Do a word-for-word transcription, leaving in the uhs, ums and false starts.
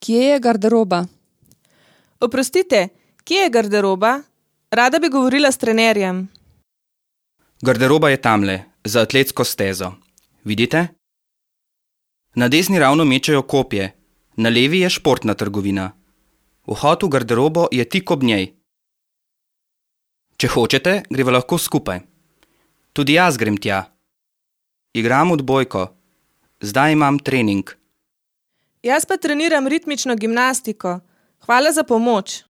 Kje je garderoba? Oprostite, kje je garderoba? Rada bi govorila s trenerjem. Garderoba je tamle, za atletsko stezo. Vidite? Na desni ravno mečejo kopje, na levi je športna trgovina. Vhod v garderobo je tik ob njej. Če hočete, greva lahko skupaj. Tudi jaz grem tja. Igram odbojko. Zdaj imam trening. Jaz pa treniram ritmično gimnastiko. Hvala za pomoč.